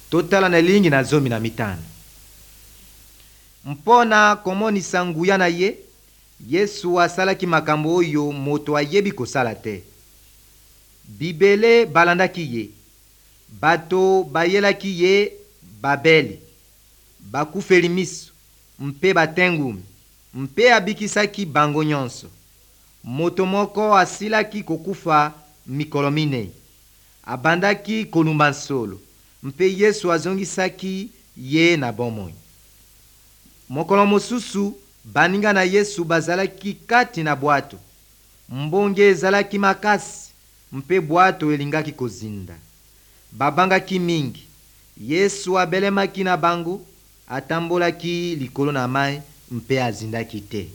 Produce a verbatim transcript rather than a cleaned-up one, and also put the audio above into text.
Totala na elilingi na zomi na mitano. Mpo na komonisa nguya na ye, Yesu asalaki makambo oyo moto ayebi kosala te. Bibele balandaki ye. Bato bayelaki ye babeli, bakufeli miso mpe batengumi, mpe abikisaki bango nyonso. Moto moko asilaki kokufa mikolo minei. Abandaki kolumba nsolo, mpe Yesu azongisaki ye na bomoi. Mokolo mosusu, baninga na Yesu bazalaki kati na bwato. Mbonge ezalaki makasi mpe bwato elingaki kozinda. Babangaki mingi. Yesu abelemaki na bango, atambolaki likolo na mai mpe azindaki te.